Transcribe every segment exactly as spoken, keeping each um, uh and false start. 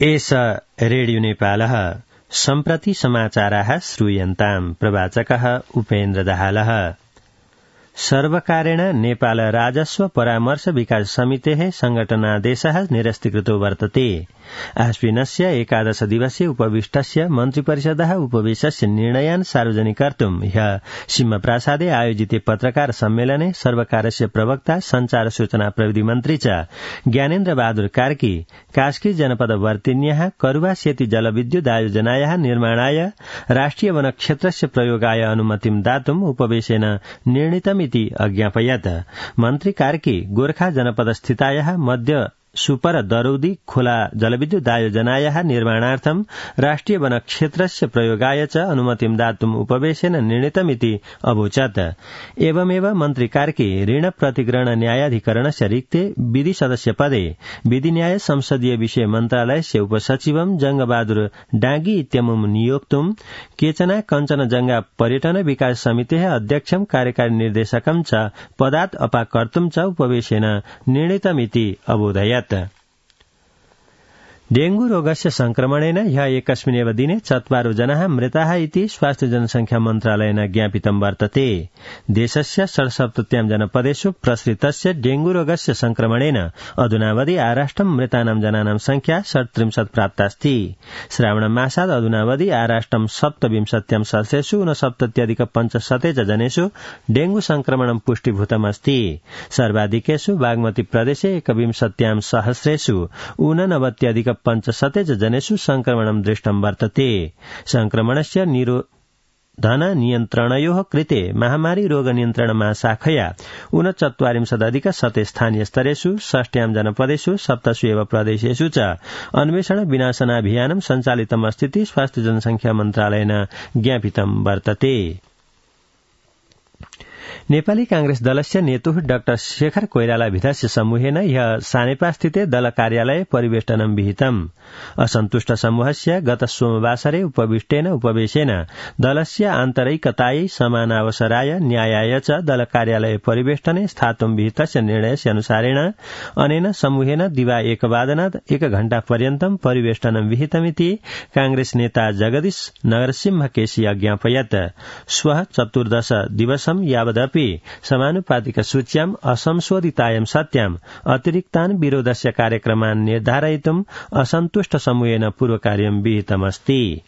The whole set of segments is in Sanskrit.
एष रेडियो नेपालः सम्प्रति समाचाराः श्रूयन्ताम्। प्रवाचकः उपेन्द्र दाहालः। सर्वकारेण नेपाल राजस्व परामर्श विकास समितेः संघटनादेशः निरस्तीकृतो वर्तते। आश्विनस्य एकादश दिवसीय उपविष्टस्य मन्त्रिपरिषदः उपवेशस्य निर्णयान् सार्वजनिकर्तुम् ह्यः सिंहप्रासादे आयोजिते पत्रकार सम्मेलने सर्वकारस्य प्रवक्ता संचार सूचना प्रविधि मन्त्री च ज्ञानेन्द्र बहादुर कार्की कास्की जनपदवर्तिन्याः करुवा सेती जलविद्युत आयोजनायाः निर्माणाय राष्ट्रिय वनक्षेत्रस्य प्रयोगाय अनुमतिं दातुम् उपवेशेन निर्णीतमिति अज्ञापयत्। मन्त्री कार्की गोर्खा जनपदस्थितायाः मध्य सुपर दरौदी खोला जलविद्युत आयोजनायाः निर्माणार्थं राष्ट्रिय वनक्षेत्रस्य प्रयोगाय च अनुमतिं दातुम् उपवेशेन निर्णीतमिति अवोचत्। एवमेव मन्त्री कार्की ऋण प्रतिग्रहण न्यायाधिकरणस्य रिक्ते विधि सदस्य पदे विधि न्याय संसदीय विषय मन्त्रालयस्य उपसचिवं जंगबहादुर डांगी इत्यमुं नियोक्तुं केचना कञ्चनजंगा पर्यटन विकास समितेः अध्यक्षं कार्यकारी निर्देशकं च पदात् अपाकर्तुं च उपवेशेन निर्णीतमिति अबोधयत्। डेंगू रोगस्य संक्रमणेन ह्यः एकस्मिन्नेव दिने चत्वारो जनाः मृताः इति स्वास्थ्य जनसंख्या मन्त्रालयेन ज्ञापितं वर्तते। देशस्य षड्सप्तत्यां जनपदेषु प्रसृतस्य डेंगू रोगस्य संक्रमणेन अधुनावधि आराष्ट्रं मृतानां जनानां संख्या षट्त्रिंशत् प्राप्तास्ति। श्रावणमासात् अधुनावधि आराष्ट्रं सप्तविंशत्यां सहस्रेषु ऊनसप्तत्यधिक पञ्चशते च जनेषु डेंगू संक्रमणं पुष्टीभूतमस्ति। सर्वाधिकेषु बागमती प्रदेशे एकविंशत्यां सहस्रेषु ऊननवत्यधिक पञ्चशते च जनेषु संक्रमणं दृष्टं वर्तते। संक्रमणस्य निरोधन नियन्त्रणयोः कृते महामारी रोग नियन्त्रण महाशाखया ऊनचत्वारिंशदधिक शते स्थानीय स्तरेषु षष्ट्यां जनपदेषु सप्तसु एव प्रदेशेषु च अन्वेषण विनाशनाभियानं सञ्चालितमस्तीति स्वास्थ्य जनसंख्या मन्त्रालयेन ज्ञापितं वर्तते। नेपाली कांग्रेस दलस्य नेतुः डाक्टर शेखर कोइराला भिथस्य समूहेन ह्यः सानेपास्थिते दल कार्यालये परिवेष्टनं विहितम्। असन्तुष्ट समूहस्य गत सोमवासरे उपविष्टेन उपवेशेन दलस्य आन्तरिकतायै समानावसराय न्यायाय च दल कार्यालये परिवेष्टने स्थातुं विहितस्य निर्णयस्य अनुसारेण अनेन समूहेन दिवा एकवादनात् एक घण्टापर्यन्तं परिवेष्टनं विहितमिति कांग्रेस नेता जगदीश नरसिंह केसी अज्ञापयत्। श्वः चतुर्दश दिवसं यावदपि समानुपातिक सूच्याम् असंशोधितायां सत्याम् अतिरिक्तान् विरोधस्य कार्यक्रमान् निर्धारयितुम् असन्तुष्ट समूहेन पूर्वकार्यं विहितमस्ति।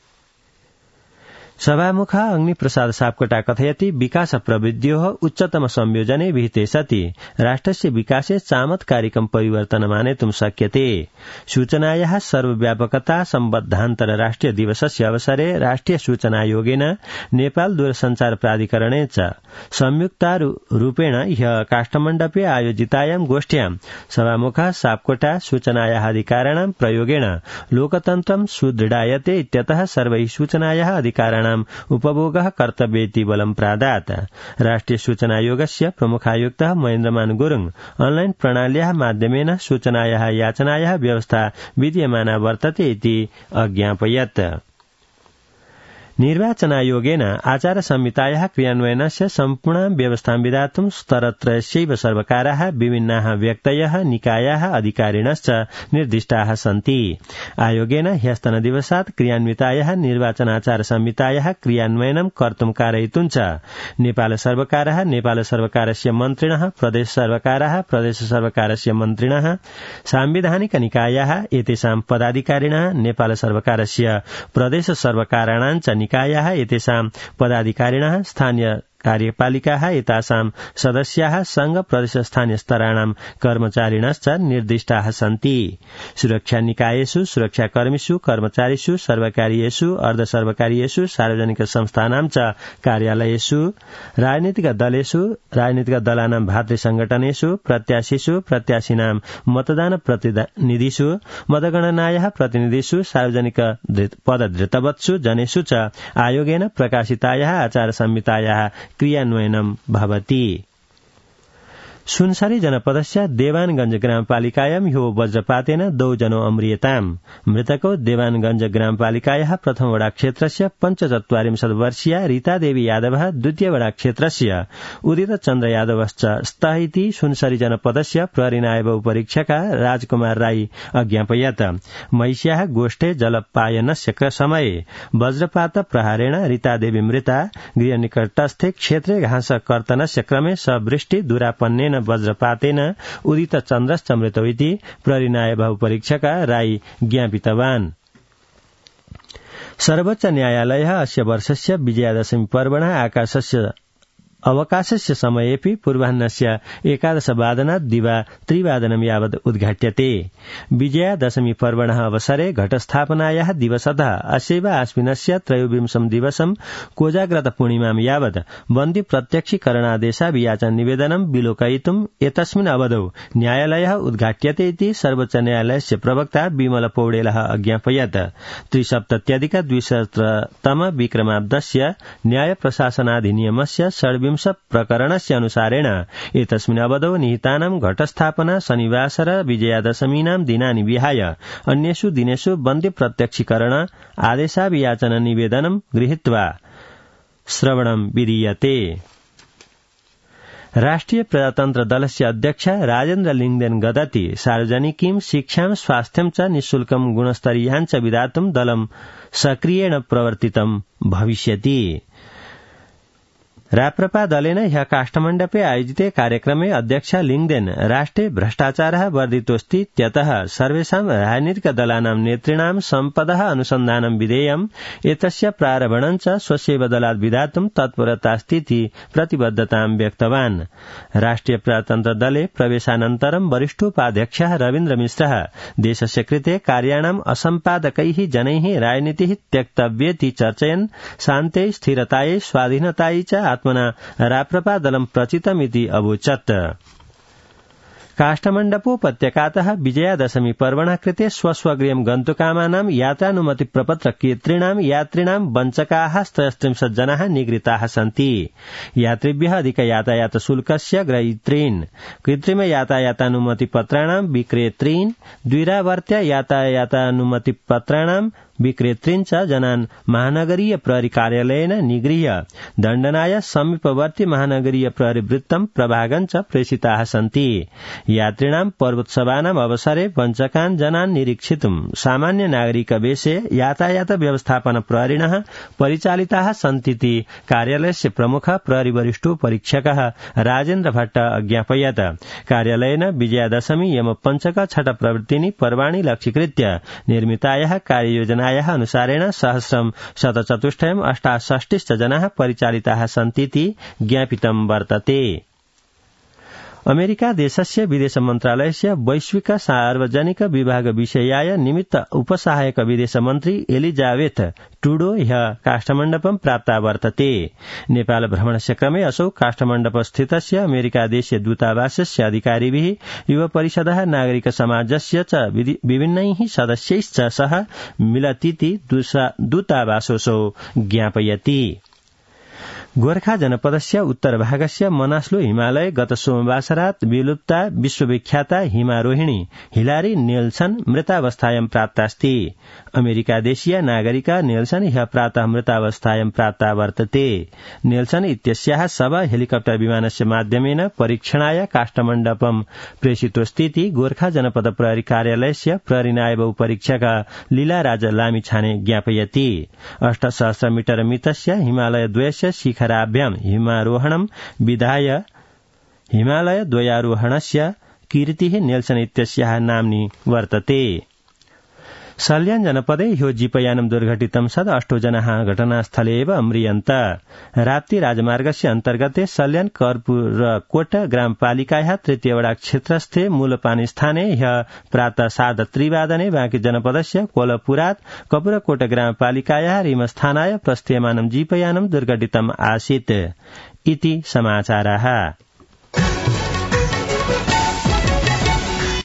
सभामुख अग्निप्रसाद सापकोटा कथयति विकास प्रवृद्ध्योः उच्चतम संयोजने विहिते सति राष्ट्रस्य विकासे चामत्कारिकं परिवर्तनम् आनेतुं शक्यते। सूचनायाः सर्वव्यापकता सम्बद्धान्तर राष्ट्रिय दिवसस्य अवसरे राष्ट्रिय सूचनायोगेन नेपाल दूरसञ्चार प्राधिकरणे च संयुक्तारूपेण ह्यः काष्ठमण्डपे आयोजितायां गोष्ठ्यां सभामुखः सापकोटा सूचनायाः अधिकाराणां प्रयोगेण लोकतन्त्रं सुदृढायते इत्यतः सर्वैः सूचनायाः अधिकाराणां उपभोगः कर्तव्येति बलं प्रादात्। राष्ट्रिय सूचनायोगस्य प्रमुखायुक्तः महेन्द्रमान गुरुङ ऑनलाइन प्रणाल्याः माध्यमेन सूचनायाः याचनायाः व्यवस्था विद्यमाना वर्तते इति अज्ञापयत्। निर्वाचनायोगेन आचार संहितायाः क्रियान्वयनस्य सम्पूर्णां व्यवस्थां विधातुं स्तरत्रयस्यैव सर्वकाराः विभिन्नाः व्यक्तयः निकायाः अधिकारिणश्च निर्दिष्टाः सन्ति। आयोगेन ह्यस्तनदिवसात् क्रियान्वितायाः निर्वाचनाचार संहितायाः क्रियान्वयनं कर्तुं कारयितुं च नेपाल सर्वकारः नेपाल सर्वकारस्य मन्त्रिणः प्रदेश सर्वकारः प्रदेश सर्वकारस्य मन्त्रिणः सांविधानिक निकायाः एतेषां पदाधिकारिणः नेपाल सर्वकारस्य प्रदेश सर्वकाराणां च निकायाः एतेषां पदाधिकारिणः स्थानीय कार्यपालिकाः एतासां सदस्याः संघ प्रदेश स्थानीय स्तराणां कर्मचारिणश्च निर्दिष्टाः सन्ति। सुरक्षा निकायेषु सुरक्षाकर्मीषु कर्मचारीषु सर्वकारीयेषु अर्धसर्वकारीयेषु सार्वजनिक संस्थानां च कार्यालयेषु राजनीतिक दलेषु राजनीतिक दलानां भातृ संगठनेषु प्रत्याशीषु प्रत्याशीनां मतदान प्रतिनिधिषु मतगणनायाः प्रतिनिधिषु सार्वजनिक पदधृतवत्सु जनेषु च आयोगेन प्रकाशितायाः आचार संहितायाः क्रियान्वयनं भवति। सुनसरी जनपदस्य देवानगंज ग्रामपालिकायां ह्यो वज्रपातेन द्वौ जनो अम्रियताम् मृतकौ देवानगंज ग्रामपालिकायाः प्रथम वडा क्षेत्रस्य पञ्चचत्वारिंशत् वर्षीया रीतादेवी यादवः द्वितीय वडा क्षेत्रस्य उदित चन्द्र यादवश्च स्तः इति सुनसरी जनपदस्य प्रहरी नायब उपरीक्षका राजकुमार राई अज्ञापयत् महिष्याः गोष्ठे जलपायनस्य समये वज्रपात प्रहारेण रीतादेवी मृता गृहनिकटस्थे क्षेत्रे घास कर्तनस्य क्रमे सवृष्टि दुरापन्नेन वज्रपातेन उदित चन्द्रश्च मृतौ इति प्रहरी नायब उपरीक्षका राई ज्ञापितवान्। सर्वोच्च न्यायालयः अस्य वर्षस्य विजयादशमी पर्वणः आकाशस्य अवकाशस्य समयेऽपि पूर्वाह्नस्य एकादशवादनात् दिवा त्रिवादनं यावत् उद्घाट्यते। विजयादशमी पर्वणः अवसरे घटस्थापनायाः दिवसतः अस्यैव आश्विनस्य त्रयोविंशं दिवसं कोजाग्रत पूर्णिमां यावत् बन्दी प्रत्यक्षीकरणादेशाभियाचन निवेदनं विलोकयितुम् एतस्मिन् अवधौ न्यायालयः उद्घाट्यते इति सर्वोच्च न्यायालयस्य प्रवक्ता विमल पौडेलः अज्ञापयत्। त्रिसप्तत्यधिक द्विसहस्रतम विक्रमाब्दस्य न्याय प्रशासनाधिनियमस्य षड्विंश प्रकरणस्य अनुसारेण एतस्मिन् अवधौ निहितानां घटस्थापना शनिवासर विजयादशमीनां दिनानि विहाय अन्येषु दिनेषु बन्दी प्रत्यक्षीकरण आदेशाभियाचन निवेदनं गृहीत्वा श्रवणं विधीयते। राष्ट्रिय प्रजातन्त्र दलस्य अध्यक्ष राजेन्द्र लिङ्गदेन गदति सार्वजनिकीं शिक्षां स्वास्थ्यं च निःशुल्कं गुणस्तरीयां च विधातुं दलं सक्रियेण प्रवर्तितं भविष्यति। राप्रपा दलेन ह्यः काष्ठमण्डपे आयोजिते कार्यक्रमे अध्यक्ष लिङ्गदेन राष्ट्रे भ्रष्टाचारः वर्धितोऽस्ति इत्यतः सर्वेषां राजनीतिकदलानां नेतॄणां सम्पदः अनुसन्धानं विधेयम् एतस्य प्रारम्भणं च स्वस्यैव दलात् विधातुं तत्परतास्ति इति प्रतिबद्धतां व्यक्तवान्। राष्ट्रिय प्रजातन्त्र दले प्रवेशानन्तरं वरिष्ठोपाध्यक्षः रवीन्द्र मिश्रः देशस्य कृते कार्याणाम् असम्पादकैः जनैः राजनीतिः त्यक्तव्येति चर्चयन् शान्त्यै स्थिरतायै स्वाधीनतायै च आत्मना राप्रपा दलं प्रचितमिति अवोचत्। काष्ठमण्डपोपत्यकातः विजयादशमी पर्वणः कृते स्वस्वगृहं गन्तुकामानां यात्रानुमति प्रपत्र केतॄणां यात्रिणां वञ्चकाः त्रयस्त्रिंशत् जनाः निगृहीताः सन्ति। यात्रिभ्यः अधिक यातायात शुल्कस्य ग्रहीतॄन् कृत्रिम यातायातानुमति पत्राणां विक्रेतॄन् द्विरावर्त्य यातायातानुमति पत्राणां विक्रेतॄन् च जनान् महानगरीय प्रहरी कार्यालयेन निगृह्य दण्डनाय समीपवर्ती महानगरीय प्रहरी वृत्तं प्रभागं च प्रेषिताः सन्ति। यात्रिणां पर्वोत्सवानाम् अवसरे वञ्चकान् जनान् निरीक्षितुं सामान्य नागरिक वेशे यातायात व्यवस्थापन प्रहरिणः परिचालिताः सन्तीति कार्यालयस्य प्रमुख प्रहरी वरिष्ठो परीक्षकः राजेन्द्र भट्ट अज्ञापयत्। कार्यालयेन विजयादशमी यम पञ्चक छठ प्रवृत्तिनि पर्वाणि लक्ष्यीकृत्य निर्मितायाः कार्ययोजना अनुसारेण सहस्रं शतचतुष्टयम् अष्टाषष्टिश्च जनाः परिचालिताः सन्तीति ज्ञापितं वर्तते। अमेरिका देशस्य विदेश मन्त्रालयस्य वैश्विक सार्वजनिक विभाग विषयाय निमित्त उपसहायक विदेश मन्त्री एलिजाबेथ टुडो ह्यः काष्ठमण्डपं प्राप्ता वर्तते। नेपाल भ्रमणस्य क्रमे असौ काष्ठमण्डप स्थितस्य अमेरिका देशीय दूतावासस्य अधिकारिभिः युव परिषदः नागरिक समाजस्य च विभिन्नैः सदस्यैश्च सह मिलतीति दूतावासोऽसौ ज्ञापयति। गोर्खा जनपदस्य उत्तरभागस्य मनास्लो हिमालय गत सोमवासरात् विलुप्ता विश्वविख्याता हिमारोहिणी हिलारी नेल्सन मृतावस्थायां प्राप्तास्ति। अमेरिका देशीय नागरिका नेल्सन ह्यः प्रातः मृतावस्थायां प्राप्ता वर्तते। नेल्सन इत्यस्याः शव हेलिकप्टर विमानस्य माध्यमेन परीक्षणाय काष्ठमण्डपं प्रेषितोऽस्तीति गोर्खा जनपद प्रहरी कार्यालयस्य प्रहरी नायब उपरीक्षक लीलाराज लामिछाने ज्ञापयति। अष्टसहस्र मीटर मितस्य हिमालय द्वयस्य शिखराभ्यां हिमारोहणं विधाय हिमालय द्वयारोहणस्य कीर्तिः नेल्सन इत्यस्याः नाम्नि वर्तते। सल्यान जनपदे ह्यो जीपयानं दुर्घटितं सद अष्टो जनाः घटनास्थले एव अम्रियन्त। राप्ती राजमार्गस्य अन्तर्गते सल्यान कर्पूरकोट ग्रामपालिकायाः तृतीय वडा क्षेत्रस्थे मूलपानी स्थाने ह्यः प्रातः सार्ध त्रिवादने बाँकी जनपदस्य कोलपुरात् कपूरकोट ग्रामपालिकायाः रिमस्थानाय प्रस्थीयमानं जीपयानं दुर्घटितम् आसीत् इति समाचारः।